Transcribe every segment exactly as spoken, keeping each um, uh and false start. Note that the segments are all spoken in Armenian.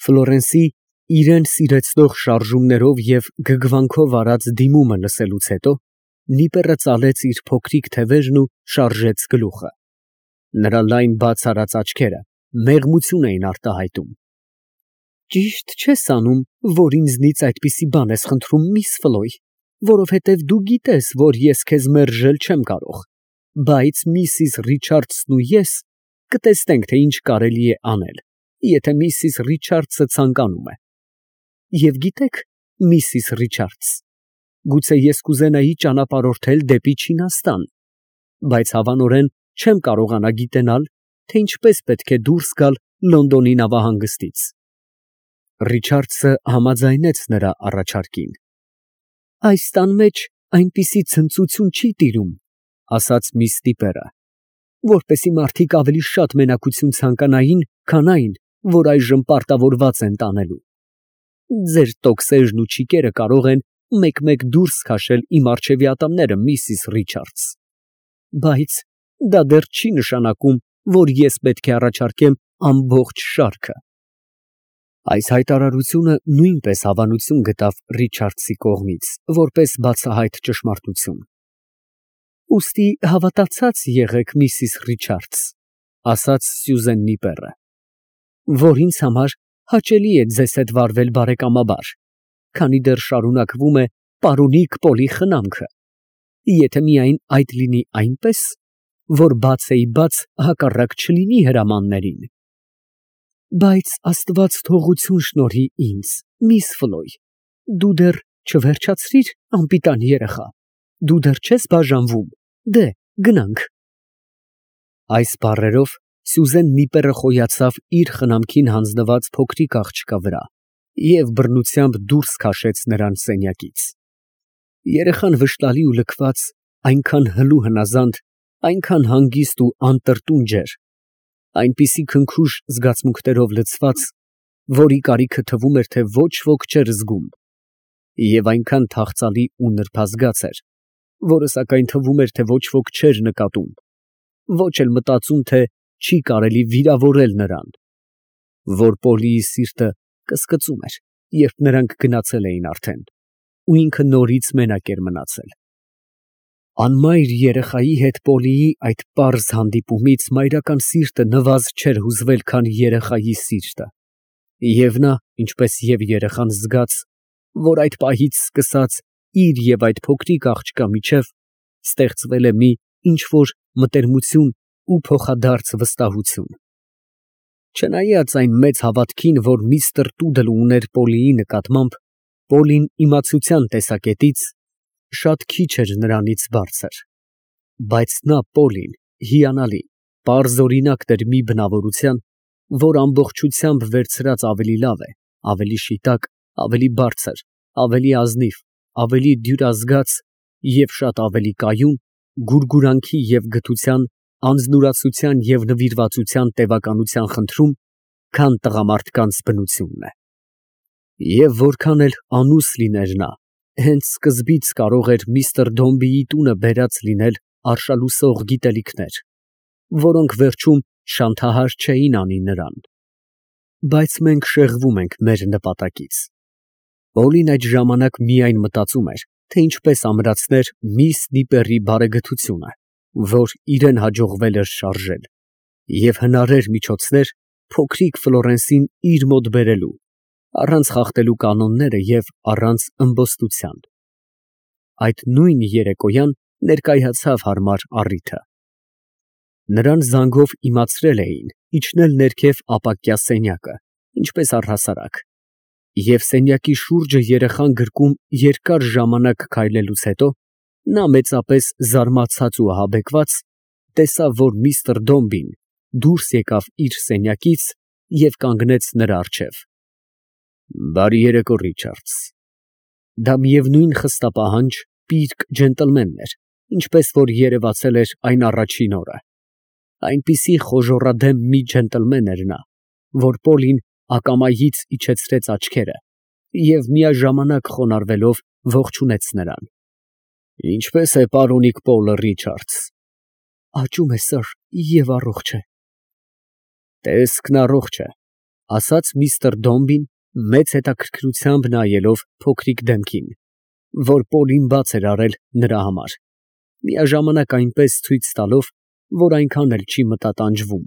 Ֆլորենսի իրան սիրեցնող շարժումներով և գգվանքով արած դիմումը լսելուց հետո Նիպեռը ծալեց իր փոքրիկ թևերն ու շարժեց գլուխը. նրա լայն բաց արած աչքերը մեղմություն էին արտահայտում։ Ճիշտ չես անում, որ ինձնից այդպիսի բան ես խնդրում, միս Ֆլոյ, որովհետև դու գիտես, որ ես քեզ մերժել չեմ կարող, բայց միսիս Ռիչարդսն ու ես կտեսնենք, թե ինչ կարելի է անել, եթե միսիս Ռիչարդսը ցանկանում է։ Եվ գիտեք, միսիս Ռիչարդս, գուցե ես կուզենայի ճանապարհորդել դեպի Չինաստան, բայց հավանորեն չեմ կարողանա գիտենալ, թե ինչպես պետք է դուրս գալ Լոնդոնի նավահանգստից։ Ռիչարդսը համաձայնեց նրա առաջարկին։ Այս տան մեջ այնպիսի ցնծություն չի տիրում, ասաց միս Նիպերը, որպեսզի մարդիկ ավելի շատ մենակություն ցանկանային, քան այն, որ այժմ պարտավորված են տանելու։ Ձեր տոկսերն ու չիկերը կարող են մեկ֊մեկ դուրս քաշել իմ առջևի ատամները, միսիս Ռիչարդս, բայց դա դեռ չի նշանակում, որ ես պետք է առաջարկեմ ամբողջ շարքը։ Այս հայտարարությունը նույնպես հավանություն գտավ Ռիչարդսի կողմից, որպես բացահայտ ճշմարտություն։ Ուստի հավատացած եղեք, միսիս Ռիչարդս, ասաց Սյուզեն Նիպերը, որ ինձ համար հաճելի է ձեզ հետ վարվել բարեկամաբար, քանի դեռ շարունակվում է պարոնիկ Պոլի խնամքը, եթե միայն այդ լինի այնպես, որ բաց էի բաց հակառակ չլինի հրամաններին։ Բայց Աստված թողություն շնորհի ինձ, միս Ֆլոյ, դու դեռ չվերջացրիր, անպիտան երեխա, դու դեռ չես բաժանվում, դե, գնանք։ Այս բառերով Սյուզեն Նիպերը խոյացավ իր խնամքին հանձնված փոքրիկ աղջկա վրա և բռնությամբ դուրս քաշեց նրան սենյակից։ Երեխան վշտալի ու լքված, այնքան հլու հնազանդ, այնքան հանգիստ ու անտրտունջ էր, այնպիսի քնքուշ զգացմունքներով լցված, որի կարիքը թվում էր, թե ոչ ոք չէր զգում, և այնքան թախծալի ու նրբազգաց էր, որը սակայն թվում էր, թե ոչ ոք չէր նկատում, ոչ էլ մտածում, թե չի կարելի վիրավորել նրան, որ Պոլիի սիրտը կսկծում էր, երբ նրանք գնացել էին արդեն, ու ինքը նորից մենակ էր մնացել։ Անմայր երեխայի հետ Պոլիի այդ պարզ հանդիպումից մայրական սիրտը նվազ չէր հուզվել, քան երեխայի սիրտը, և նա, ինչպես և երեխան, զգաց, որ այդ պահից սկսած իր և այդ փոքրիկ աղջկա միջև ստեղծվել է մի ինչ֊որ մտերմություն ու փոխադարձ վստահություն։ Չնայած այն մեծ հավատքին, որ միստր Տուդլը ուներ Պոլիի նկատմամբ, Պոլին իմացության տեսակետից շատ քիչ էր նրանից բարձր, բայց նա Պոլին հիանալի, պարզօրինակ էր մի բնավորության, որ ամբողջությամբ վերցրած ավելի լավ է, ավելի շիտակ, ավելի բարձր, ավելի ազնիվ, ավելի դյուրազգաց և շատ ավելի կայուն, գուրգուրանքի և գթության, անձնուրացության և նվիրվածության տևականության խնդրում, քան տղամարդկանց բնությունն է։ Եվ որքան էլ անուս լիներ նա, հենց սկզբից կարող էր միստր Դոմբիի տունը բերած լինել արշալուսող գիտելիքներ, որոնք վերջում շանթահար չէին անի նրան։ Բայց մենք շեղվում ենք մեր նպատակից։ Պոլին այդ ժամանակ միայն մտածում էր, թե ինչպես ամրացներ միս Նիպերի բարեգթությունը, որ իրան հաջողվել էր շարժել, և հնարեր միջոցներ փոքրիկ Ֆլորենսին իր մոտ բերելու, առանց խախտելու կանոնները և առանց ըմբոստության։ Այդ նույն երեկոյան ներկայացավ հարմար առիթը։ Նրան զանգով իմացրել էին իջնել ներքև ապակյա սենյակը, ինչպես առհասարակ, և սենյակի շուրջը երեխան գրկում երկար ժամանակ քայլելուց հետո նա մեծապես զարմացած ու ահաբեկված տեսավ, որ միստր Դոմբին դուրս եկավ իր սենյակից և կանգնեց նրա առջև։ Բարի երեկո, Ռիչարդս։ Դա միևնույն խստապահանջ, պիրկ ջենտլմենն էր, ինչպես որ երևացել էր այն առաջին օրը։ Այնպիսի խոժոռադեմ մի ջենտլմեն էր նա, որ Պոլին ակամայից իջեցրեց աչքերը և միաժամանակ խոնարհվելով ողջունեց նրան։ Ինչպե՞ս է պարոնիկ Պոլը, Ռիչարդս։ Աճում է, սըր, և առողջ է։ Տեսքն առողջ է, ասաց միստր Դոմբին, մեծ հետաքրքրությամբ նայելով փոքրիկ դեմքին, որ Պոլին բաց էր արել նրա համար, միաժամանակ այնպես ցույց տալով, որ այնքան էլ չի մտատանջվում։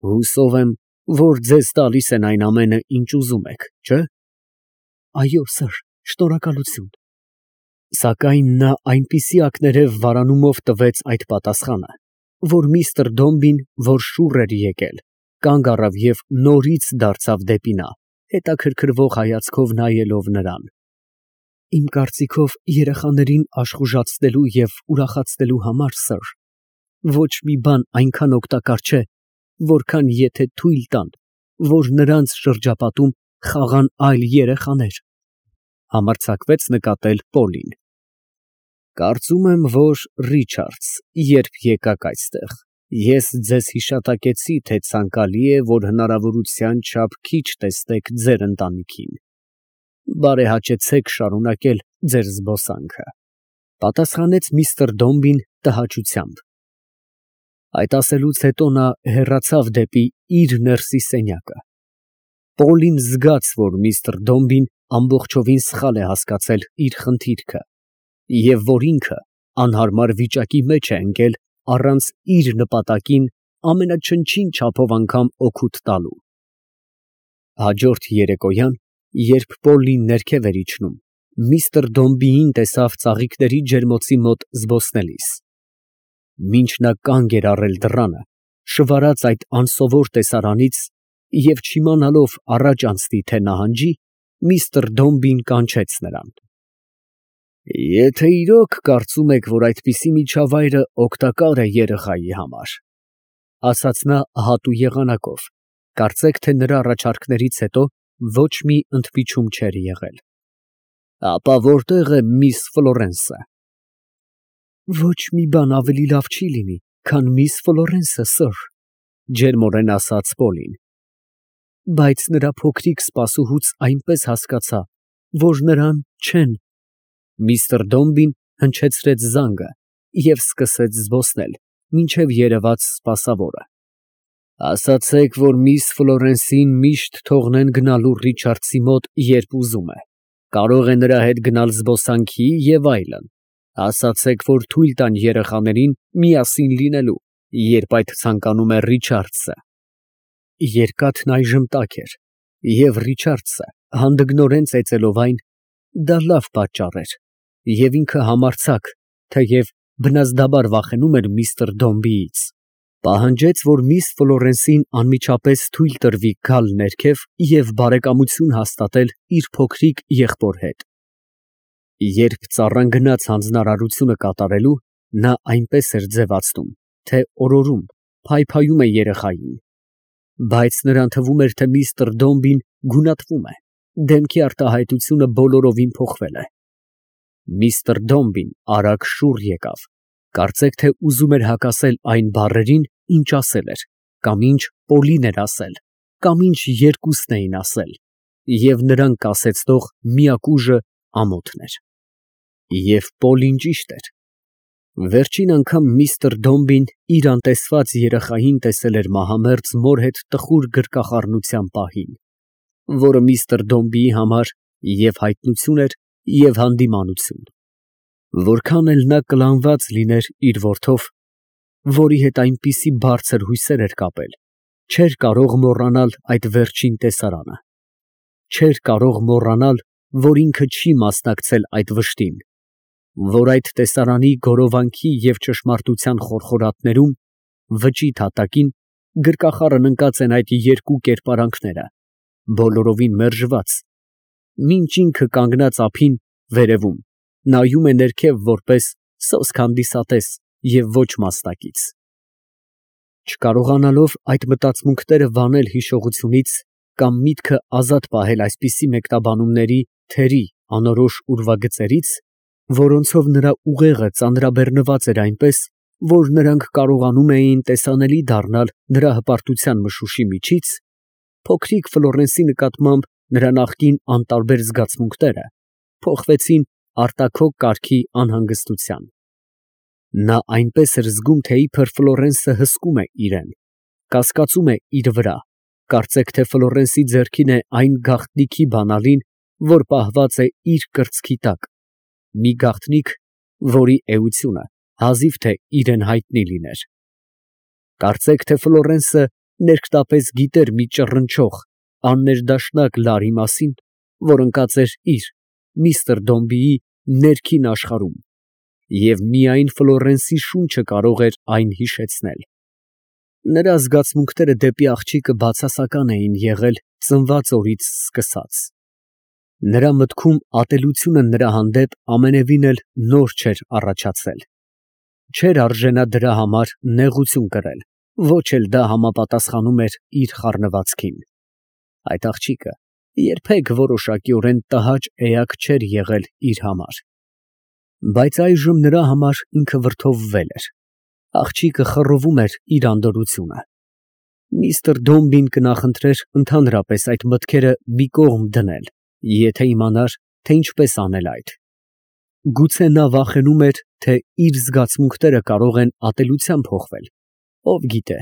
Հուսով եմ, որ ձեզ տալիս են այն ամենը, ինչ ուզում եք, չէ՞։ Այո, սըր, շնորհակալություն։ Սակայն նա այնպիսի ակներև վարանումով տվեց այդ պատասխանը, որ միստր Դոմբին, որ շուռ էր եկել, կանգ առավ և նորից դարձավ դեպի նա, հետաքրքրվող հայացքով նայելով նրան։ Իմ կարծիքով, երեխաներին աշխուժացնելու և ուրախացնելու համար, սըր, ոչ մի բան այնքան օգտակար չէ, որքան եթե թույլ տան, որ նրանց շրջապատում խաղան այլ երեխաներ, համարձակվեց նկատել Պոլին։ Կարծում եմ, որ, Ռիչարդս, երբ եկաք այստեղ, ես ձեզ հիշատակեցի, թե ցանկալի է, որ հնարավորության չափ քիչ տեսնեք ձեր ընտանիքին։ Բարեհաճեցեք շարունակել ձեր զբոսանքը, պատասխանեց միստր Դոմբին տհաճությամբ։ Այդ ասելուց հետո նա հեռացավ դեպի իր ներսի սենյակը։ Պոլին զգաց, որ միստր Դոմբին ամբողջովին սխալ է հասկացել իր խնդիրքը, և որ ինքը անհարմար վիճակի մեջ է ընկել առանց իր նպատակին ամենաչնչին չափով անգամ օգուտ տալու։ Հաջորդ երեկոյան, երբ Պոլին ներքև էր իջնում, միստր Դոմբիին տեսավ ծաղիկների ջերմոցի մոտ զբոսնելիս։ Մինչ նա կանգ էր առել դռանը, շվարած այդ անսովոր տեսարանից և չիմանալով առաջ անցնի, թե նահանջի, միստր Դոմբին կանչեց նրան։ Եթե իրոք կարծում եք, որ այդպիսի միջավայրը օգտակար է երեխայի համար, ասաց նա հատու եղանակով, կարծեք, թե նրա առաջարկներից հետո ոչ մի ընդմիջում չէր եղել, ապա որտե՞ղ է միս Ֆլորենսը։ Ոչ մի բան ավելի լավ չի լինի, քան միս Ֆլորենսը, սըր, ջերմորեն ասաց Պոլին։ Բայց նրա փոքրիկ սպասուհուց այնպես հասկացա, որ նրան չեն։ Միստր Դոմբին հնչեցրեց զանգը և սկսեց զբոսնել, մինչև երևաց սպասավորը։ Ասացեք, որ միս Ֆլորենսին միշտ թողնեն գնալու Ռիչարդսի մոտ, երբ ուզում է, կարող է նրա հետ գնալ զբոսանքի և այլն։ Ասացեք, որ թույլ տան երեխաներին միասին լինելու, երբ այդ ցանկանում է Ռիչարդսը։ Երկաթն այժմ տաք էր, և Ռիչարդսը, հանդգնորեն ծեծելով այն, դա լավ պատճառ էր, և ինքը համարձակ, թեև բնազդաբար վախենում էր միստր Դոմբիից, պահանջեց, որ միս Ֆլորենսին անմիջապես թույլ տրվի գալ ներքև և բարեկամություն հաստատել իր փոքրիկ եղբոր հետ։ Երբ ծառան գնաց հանձնարարությունը կատարելու, նա այնպես էր ձևացնում, թե օրորում, փայփայում է երեխային, բայց նրան թվում էր, թե միստր Դոմբին գունատվում է, դեմքի արտահայտությունը բոլորովին փոխվել է։ Միստր Դոմբին արագ շուռ եկավ, կարծեք, թե ուզում էր հակասել այն բառերին, ինչ ասել էր, կամ ինչ Պոլին էր ասել, կամ ինչ երկուսն էին ասել, և նրան կասեցնող միակ ուժը ամոթն էր։ Եվ Պոլին ճիշտ էր։ Վերջին անգամ միստր Դոմբին իր անտեսված երեխային տեսել էր մահամերձ մոր հետ տխուր գրկախառնության պահին, որը միստր Դոմբիի համար և հայտնություն էր, և հանդիմանություն։ Որքան էլ նա կլանված լիներ իր որդով, որի հետ այնպիսի բարձր հույսեր էր կապել, չէր կարող մոռանալ այդ վերջին տեսարանը, չէր կարող մոռանալ, որ ինքը չի մասնակցել այդ վշտին, որ այդ տեսարանի գորովանքի և ճշմարտության խորխորատներում, վճիտ հատակին, գրկախառն ընկած են այդ երկու կերպարանքները, բոլորովին մերժված, մինչ ինքը կանգնած ափին, վերևում, նայում է ներքև որպես սոսկ հանդիսատես և ոչ մասնակից։ Չկարողանալով այդ մտածմունքները վանել հիշողությունից կամ միտքը ազատ պահել այսպիսի մեկնաբանումների թերի անորոշ ուրվագծերից, որոնցով նրա ուղեղը ծանրաբեռնված էր այնպես, որ նրանք կարողանում էին տեսանելի դառնալ նրա հպարտության մշուշի միջից, փոքրիկ Ֆլորենսի նկատմամբ նրա նախկին անտարբեր զգացմունքները փոխվեցին արտաքոք կարգի անհանգստության։ Նա այնպես էր զգում, թե իբր Ֆլորենսը հսկում է իրեն, կասկածում է իր վրա, Կարծեք թե Ֆլորենսի ձեռքին է այն գաղտնիքի բանալին, որ պահված է իր կրծքի տակ, մի գաղտնիք, որի էությունը հազիվ թե իրան հայտնի լիներ։ Կարծեք թե Ֆլորենսը ներկտապես գիտեր մի ճռնչող, աններդաշնակ լարի մասին, որ ընկած էր իր՝ միստր Դոմբիի ներքին աշխարհում, և միայն Ֆլորենսի շունչը կարող էր այն հիշեցնել։ Նրա զգացմունքները դեպի աղջիկը բացասական էին եղել ծնված օրից սկսած։ Նրա մտքում ատելությունը նրա հանդեպ ամենևին էլ նոր չէր առաջացել։ Չէր արժենա դրա համար նեղություն կրել, ոչ էլ դա համապատասխանում էր իր խառնվածքին։ Այդ աղջիկը երբեք որոշակիորեն տհաճ էակ չէր եղել իր համար։ Բայց այժմ նրա համար ինքը վրդովվել էր։ Աղջիկը խռովում էր իր անդորրությունը։ Միստր Դոմբին կնախընտրեր ընդհանրապես այդ մտքերը մի կողմ դնել, եթե իմանար, թե ինչպես անել այդ։ Գուցե նա վախենում էր, թե իր զգացմունքները կարող են ատելությամբ փոխվել։ Ով գիտե,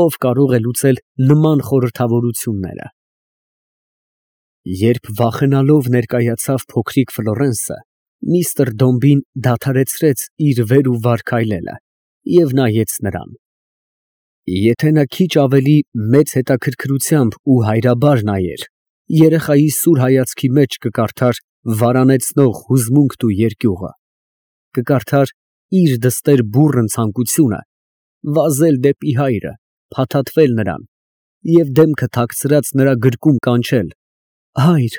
ով կարող է լուծել նման խորհրդավորությունները։ Երբ վախենալով ներկայացավ փոքրիկ Ֆլորենսը, միստր Դոմբին դադարեցրեց իր վեր ու վար քայլելը և նայեց նրան։ Եթե նա քիչ ավելի մեծ հետաքրքրությամբ ու հայրաբար նայեր, երեխայի սուր հայացքի մեջ կկարդար վարանեցնող հուզմունքն ու երկյուղը, կկարդար իր դստեր բուռն ցանկությունը վազել դեպի հայրը, փաթաթվել նրան և դեմքը թաքցրած նրա գրկում կանչել. «Հայր,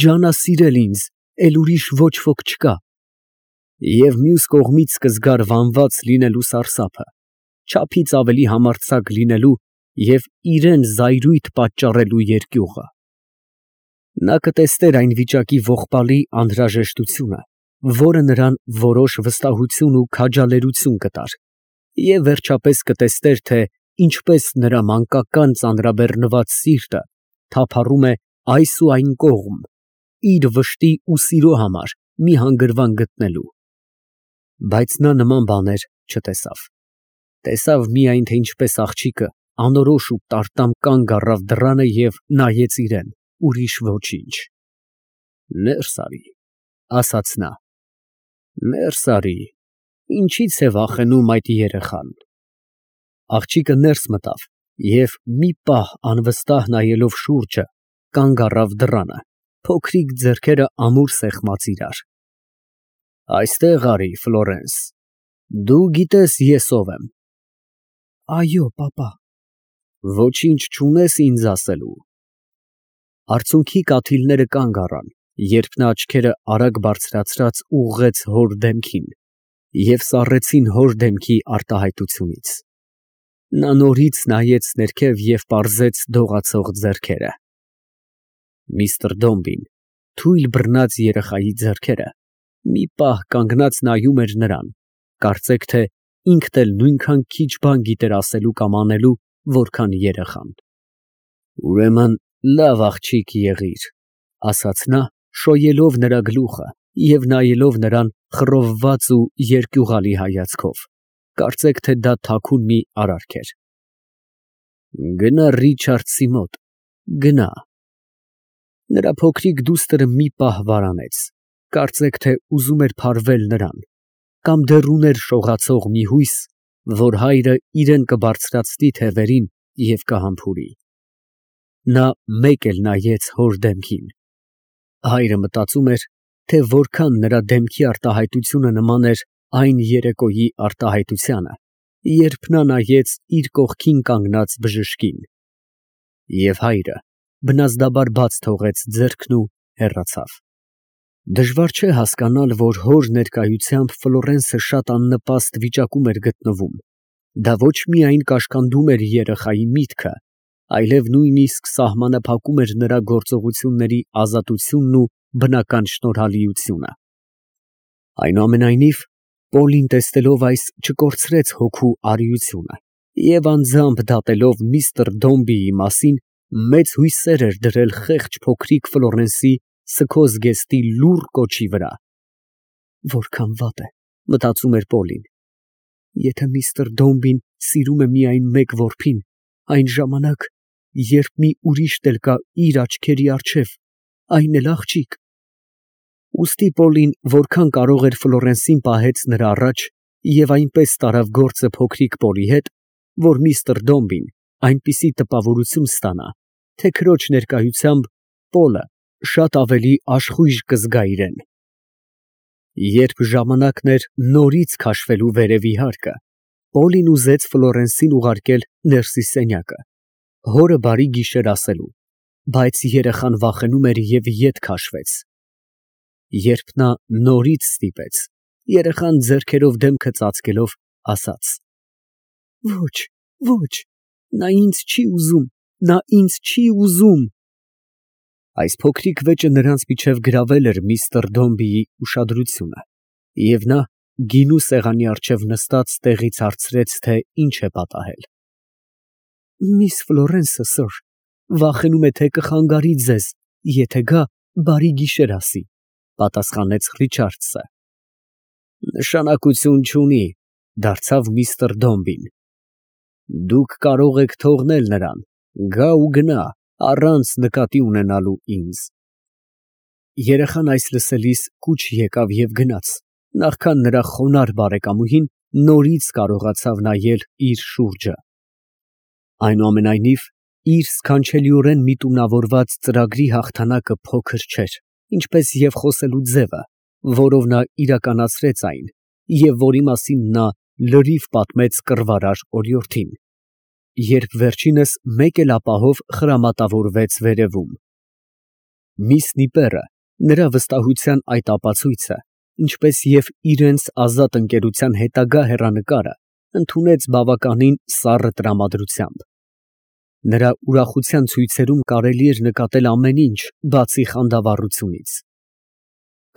ջանասիրել ինձ, էլ ուրիշ ոչ ոք չկա»։ Եվ մյուս կողմից կզգար վանված լինելու սարսափը, չափից ավելի համարձակ լինելու և իրան զայրույթ պատճառելու երկյուղը։ Նա կտեսներ այն վիճակի ողբալի անհրաժեշտությունը, որը նրան որոշ վստահություն ու քաջալերություն կտար, և վերջապես կտեսներ, թե ինչպես նրա մանկական ծանրաբեռնված սիրտը թափառում է այս ու այն կողմ, իր վշտի ու սիրո համար մի հանգրվան գտնելու։ Բայց նա նման բաներ չտեսավ։ Տեսավ միայն, թե ինչպես աղջիկը անորոշ ու տարտամ կանգ առավ դռանը և նայեց իրան, ուրիշ ոչինչ։ «Ներս արի», ասաց նա, «ներս արի, ինչի՞ց է վախենում այդ երեխան»։ Աղջիկը ներս մտավ և մի պահ անվստահ նայելով շուրջը, կանգ առավ դռանը, փոքրիկ ձեռքերը ամուր սեղմած իրար։ «Այստեղ արի, Ֆլորենս, դու գիտես ես ով եմ»։ «Այո, պապա»։ «Ոչինչ չունես ինձ ասելու»։ Արցունքի կաթիլները կանգ առան, երբ նա աչքերը արագ բարձրացրած ուղղեց հոր դեմքին և սառեցին հոր դեմքի արտահայտությունից։ Նա նորից նայեց ներքև և պարզեց դողացող ձեռքերը։ Միստր Դոմբին թույլ բռնած երեխայի ձեռքերը մի պահ կանգնած նայում էր նրան, կարծեք թե ինքն էլ նույնքան քիչ բան գիտեր ասելու կամ անելու, որքան երեխան։ «Ուրեմն լավ աղջիկ եղիր», ասաց նա, շոյելով նրա գլուխը և նայելով նրան խռովված ու երկյուղալի հայացքով, կարծեք թե դա թաքուն մի արարք էր։ «Գնա Ռիչարդսի մոտ, գնա»։ Նրա փոքրիկ դուստրը մի պահ վարանեց, կարծեք թե ուզում էր փարվել նրան, կամ դեռ ուներ շողացող մի հույս, որ հայրը իրան կբարձրացնի թևերին և կհամբուրի։ Նա մեկ էլ նայեց հոր դեմքին։ Հայրը մտածում էր, թե որքան նրա դեմքի արտահայտությունը նման էր այն երեկոյի արտահայտությանը, երբ նա նայեց իր կողքին կանգնած բժշկին։ Եվ հայրը բնազդաբար բաց թողեց ձեռքն ու հեռացավ։ Դժվար չէ հասկանալ, որ հոր ներկայությամբ Ֆլորենսը շատ աննպաստ վիճակում էր գտնվում։ Դա ոչ միայն կաշկանդում էր երեխայի միտքը, այլև նույնիսկ սահմանափակում էր նրա գործողությունների ազատությունն ու բնական շնորհալիությունը։ Այնուամենայնիվ, Պոլին տեսնելով այս չկորցրեց հոգու արիությունը և անձամբ դատելով միստր Դոմբիի մասին, մեծ հույսեր էր դրել խեղճ փոքրիկ Ֆլորենսի սքոզգեստի լուռ կոչի վրա։ «Որքան վատ է, ֊ մտածում էր Պոլին, ֊ եթե միստր Դոմբին սիրում է միայն մեկ որբին, այն ժամանակ երբ մի ուրիշ էլ կա իր աչքերի առջև, այն էլ աղջիկ։ Ուստի Պոլին որքան կարող էր Ֆլորենսին պահեց նրա առաջ և այնպես տարավ գործը փոքրիկ Պոլի հետ, որ միստր Դոմբին այնպիսի տպավորություն ստանա, թե քրոջ ներկայությամբ Պոլը շատ ավելի աշխույժ կզգա իրեն։ Երբ ժամանակն էր նորից քաշվելու վերևի հարկը, Պոլին ուզեց Ֆլորենսին ուղարկել ներսի սենյակը, հորը բարի գիշեր ասելու, բայց երեխան վախենում էր և ետ քաշվեց։ Երբ նա նորից ստիպեց, երեխան ձեռքերով դեմքը ծածկելով, ասաց. «Ոչ, ոչ, նա ինձ չի ուզում, նա ինձ չի ուզում»։ Այս փոքրիկ վեճը նրանց միջև գրավել էր միստր Դոմբիի ուշադրությունը, և նա գինու սեղանի առջև նստած տեղից հարցրեց, թե ինչ է պատահել։ «Միս Ֆլորենսը, սըր, վախենում է, թե կխանգարի ձեզ, եթե գա բարի գիշեր ասի», պատասխանեց Ռիչարդսը։ «Նշանակություն չունի», դարձավ միստր Դոմբին, «դուք կարող եք թողնել նրան, գա ու գնա, առանց նկատի ունենալու ինձ»։ Երեխան այս լսելիս կուչ եկավ և գնաց, նախքան նրա խոնարհ բարեկամուհին նորից կարողացավ նայել իր շուրջը։ Այնուամենայնիվ, իր սքանչելիորեն միտումնավորված ծրագրի հաղթանակը փոքր չէր, ինչպես և խոսելու ձևը, որով նա իրականացրեց այն, և որի մասին նա լրիվ պատմեց կռվարար օրիորդին, երբ վերջինս մեկ էլ ապահով խրամատավորվեց վերևում։ Միս Նիպերը նրա վստահության այդ ապացույցը, ինչպես և իրենց ազատ ընկերության հետագա հեռանկարը, ընդունեց բավականին սառը տրամադրությամբ։ Նրա ուրախության ցույցերում կարելի էր նկատել ամեն ինչ, բացի խանդավառությունից։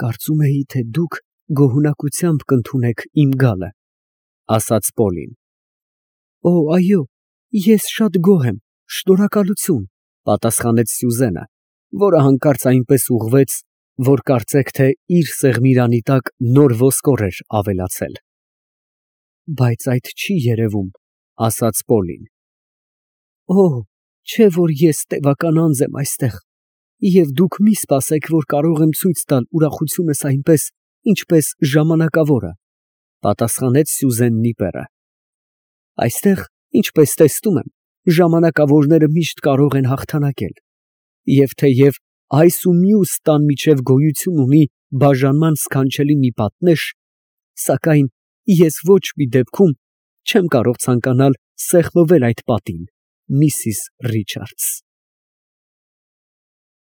«Կարծում էի, թե դուք գոհունակությամբ կընդունեք իմ գալը», ֊ ասաց Պոլին։ «Օ, այո, ես շատ գոհ եմ, շնորհակալություն», ֊ պատասխանեց Սյուզենը, որը հանկարծ այնպես ուղղվեց, որ կարծեք թե իր սեղմիրանի տակ նոր ոսկոր էր ավելացել։ «Բայց այդ չի երևում», ֊ ասաց Պոլին։ «Օ, չէ որ ես տևական անձ եմ այստեղ, և դուք մի սպասեք, որ կարող եմ ցույց տալ ուրախությունս այնպես, ինչպես ժամանակավորը», ֊ պատասխանեց Սյուզեն Նիպերը։ «Այստեղ, ինչպես տեսնում եմ, ժամանակավորները միշտ կարող են հաղթանակել, և թեև այս ու մյուս տան միջև գոյություն ունի բաժանման սքանչելի մի պատնեշ, սակայն ես ոչ մի դեպքում չեմ կարող ցանկանալ սեղմվել այդ պատին, միսիս Ռիչարդս»։